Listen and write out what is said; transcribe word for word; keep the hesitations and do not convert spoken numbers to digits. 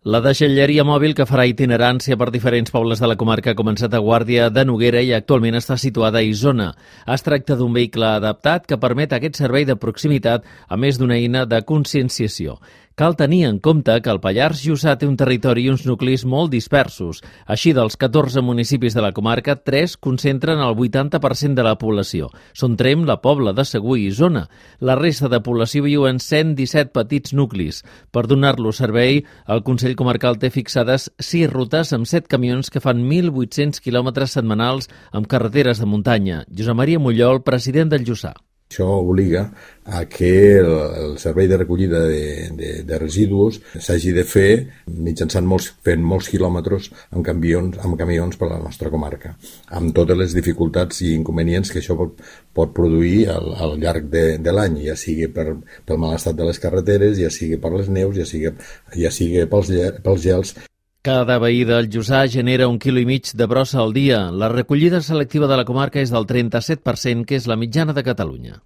La deixalleria mòbil que farà itinerància per diferents pobles de la comarca ha començat a Guàrdia de Noguera i actualment està situada a Isona. Es tracta d'un vehicle adaptat que permet aquest servei de proximitat a més d'una eina de conscienciació. Cal tenir en compte que el Pallars Jussà té un territori i uns nuclis molt dispersos. Així, dels catorze municipis de la comarca, tres concentren el vuitanta per cent de la població. Són Tremp, la Pobla de Segur i Isona. La resta de població viu en cent disset petits nuclis. Per donar-los servei, el Consell Comarcal té fixades sis rutes amb set camions que fan mil vuit-cents quilòmetres setmanals amb carreteres de muntanya. Josep Maria Mollol, president del Jussà. Això obliga a que el, el servei de recollida de, de, de residus s'hagi de fer mitjançant molts, fent molts quilòmetres amb camions, amb camions per la nostra comarca, amb totes les dificultats i inconvenients que això pot, pot produir al, al llarg de, de l'any, ja sigui per, pel mal estat de les carreteres, ja sigui per les neus, ja sigui, ja sigui pels, pels gels. Cada veí del Jussà genera un quilo i mig de brossa al dia. La recollida selectiva de la comarca és del trenta-set per cent, que és la mitjana de Catalunya.